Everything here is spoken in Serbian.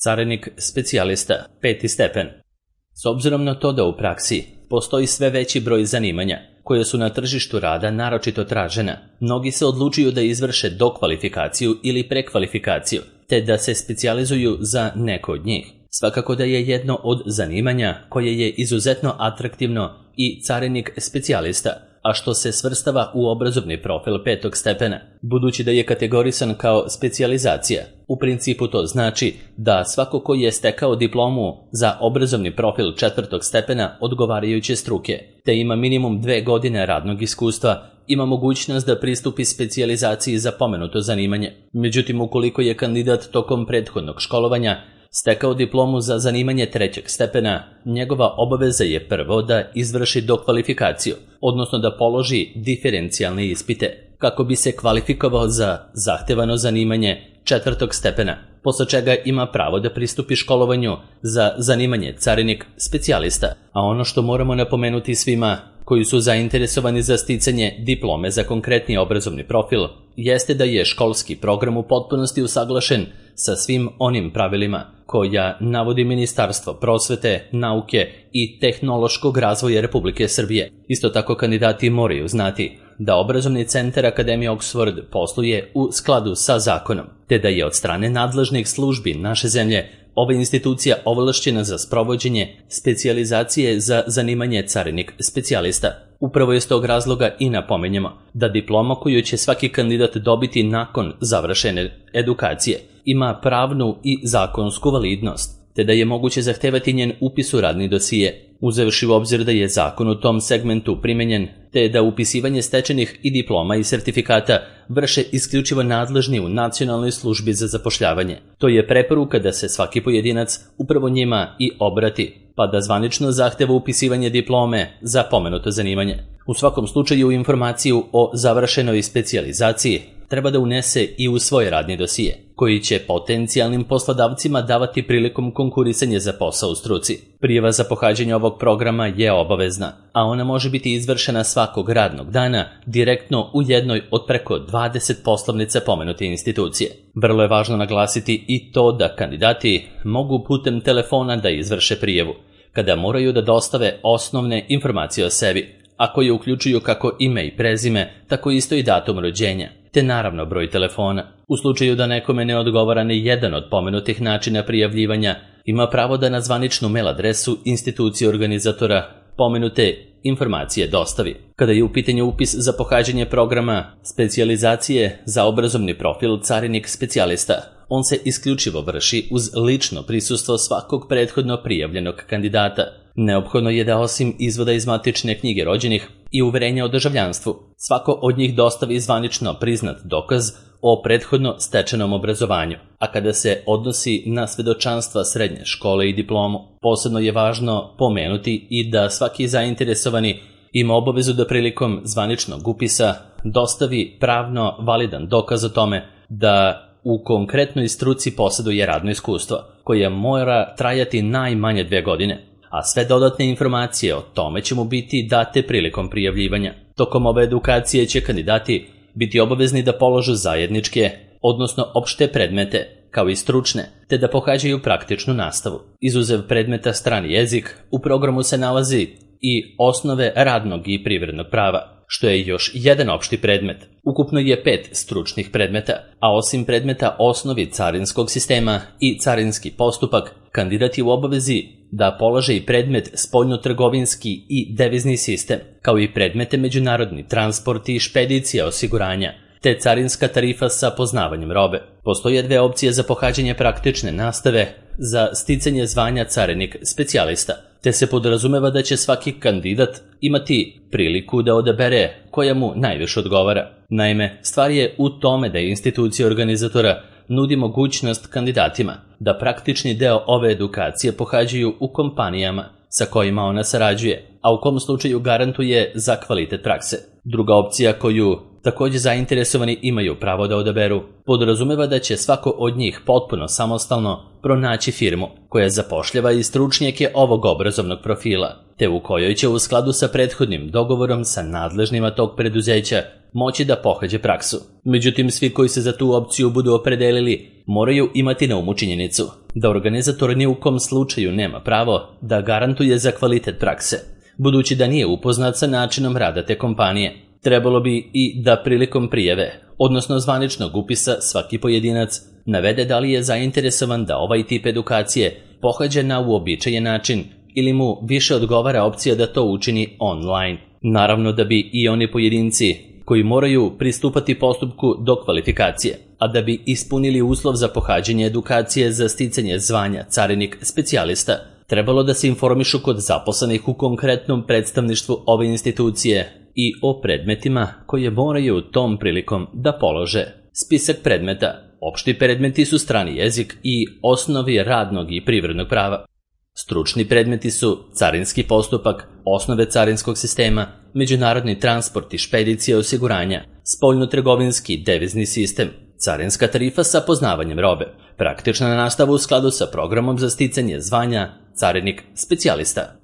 Carinik specijalista, 5. stepen. S obzirom na to da u praksi postoji sve veći broj zanimanja koje su na tržištu rada naročito tražena, mnogi se odlučuju da izvrše dokvalifikaciju ili prekvalifikaciju, te da se specijalizuju za neko od njih. Svakako da je jedno od zanimanja koje je izuzetno atraktivno i carinik specijalista, a što se svrstava u obrazovni profil 5. stepena, budući da je kategorisan kao specijalizacija. U principu to znači da svako ko je stekao diplomu za obrazovni profil 4. stepena odgovarajuće struke, te ima minimum 2 godine radnog iskustva, ima mogućnost da pristupi specijalizaciji za pomenuto zanimanje. Međutim, ukoliko je kandidat tokom prethodnog školovanja stekao diplomu za zanimanje 3. stepena, njegova obaveza je prvo da izvrši dokvalifikaciju, odnosno da položi diferencijalne ispite, kako bi se kvalifikovao za zahtevano zanimanje 4. stepena, posle čega ima pravo da pristupi školovanju za zanimanje carinik specijalista. A ono što moramo napomenuti svima koji su zainteresovani za sticanje diplome za konkretni obrazovni profil, jeste da je školski program u potpunosti usaglašen sa svim onim pravilima koja navodi Ministarstvo prosvete, nauke i tehnološkog razvoja Republike Srbije. Isto tako kandidati moraju znati da obrazovni centar Akademije Oxford posluje u skladu sa zakonom, te da je od strane nadležnih službi naše zemlje ova institucija ovlašćena za sprovođenje specijalizacije za zanimanje carinik specijalista. Upravo iz tog razloga i napominjemo da diploma koju će svaki kandidat dobiti nakon završene edukacije ima pravnu i zakonsku validnost, te da je moguće zahtevati njen upis u radni dosije, uzevši u obzir da je zakon u tom segmentu primenjen, te da upisivanje stečenih i diploma i sertifikata vrše isključivo nadležni u Nacionalnoj službi za zapošljavanje. To je preporuka da se svaki pojedinac upravo njima i obrati, pa da zvanično zahteva upisivanje diplome za pomenuto zanimanje. U svakom slučaju informaciju o završenoj specijalizaciji treba da unese i u svoj radni dosije, koji će potencijalnim poslodavcima davati prilikom konkurisanja za posao u struci. Prijava za pohađanje ovog programa je obavezna, a ona može biti izvršena svakog radnog dana direktno u jednoj od preko 20 poslovnica pomenute institucije. Vrlo je važno naglasiti i to da kandidati mogu putem telefona da izvrše prijavu, kada moraju da dostave osnovne informacije o sebi, a koje uključuju kako ime i prezime, tako isto i datum rođenja, te naravno broj telefona. U slučaju da nekome ne odgovara ni jedan od pomenutih načina prijavljivanja, ima pravo da na zvaničnu mail adresu institucije organizatora pomenute informacije dostavi. Kada je u pitanju upis za pohađanje programa specijalizacije za obrazovni profil carinik specijalista, on se isključivo vrši uz lično prisustvo svakog prethodno prijavljenog kandidata. Neophodno je da osim izvoda iz matične knjige rođenih i uverenja o državljanstvu, svako od njih dostavi zvanično priznat dokaz o prethodno stečenom obrazovanju, a kada se odnosi na svedočanstva srednje škole i diplomu, posebno je važno pomenuti i da svaki zainteresovani ima obavezu da prilikom zvaničnog upisa dostavi pravno validan dokaz o tome da u konkretnoj struci posjeduje radno iskustvo, koje mora trajati najmanje 2 godine, a sve dodatne informacije o tome će mu biti date prilikom prijavljivanja. Tokom ove edukacije će kandidati biti obavezni da položu zajedničke, odnosno opšte predmete, kao i stručne, te da pohađaju praktičnu nastavu. Izuzev predmeta strani jezik, u programu se nalazi i osnove radnog i privrednog prava, što je još jedan opšti predmet. Ukupno je 5 stručnih predmeta, a osim predmeta osnovi carinskog sistema i carinski postupak, kandidat je u obavezi da polože i predmet spoljnotrgovinski i devizni sistem, kao i predmete međunarodni transport i špedicija osiguranja, te carinska tarifa sa poznavanjem robe. Postoje 2 opcije za pohađanje praktične nastave za sticanje zvanja carinik specijalista, te se podrazumeva da će svaki kandidat imati priliku da odabere koja mu najviše odgovara. Naime, stvar je u tome da institucija organizatora nudi mogućnost kandidatima da praktični deo ove edukacije pohađaju u kompanijama sa kojima ona sarađuje, a u kom slučaju garantuje za kvalitet prakse. Druga opcija koju također zainteresovani imaju pravo da odaberu podrazumeva da će svako od njih potpuno samostalno pronaći firmu koja zapošljava i stručnjake ovog obrazovnog profila, te u kojoj će u skladu sa prethodnim dogovorom sa nadležnima tog preduzeća moći da pohađe praksu. Međutim, svi koji se za tu opciju budu opredelili moraju imati na umu činjenicu da organizator ni u kom slučaju nema pravo da garantuje za kvalitet prakse, budući da nije upoznat sa načinom rada te kompanije. Trebalo bi i da prilikom prijave, odnosno zvaničnog upisa, svaki pojedinac navede da li je zainteresovan da ovaj tip edukacije pohađa na uobičajen način ili mu više odgovara opcija da to učini online. Naravno da bi i oni pojedinci koji moraju pristupati postupku do kvalifikacije, a da bi ispunili uslov za pohađanje edukacije za sticanje zvanja carinik specijalista, trebalo da se informišu kod zaposlenih u konkretnom predstavništvu ove institucije i o predmetima koje moraju tom prilikom da polože. Spisak predmeta. Opšti predmeti su strani jezik i osnovi radnog i privrednog prava. Stručni predmeti su carinski postupak, osnove carinskog sistema, međunarodni transport i špedicija osiguranja, spoljnotrgovinski devizni sistem, carinska tarifa sa poznavanjem robe, praktična nastava u skladu sa programom za sticanje zvanja carinik specijalista.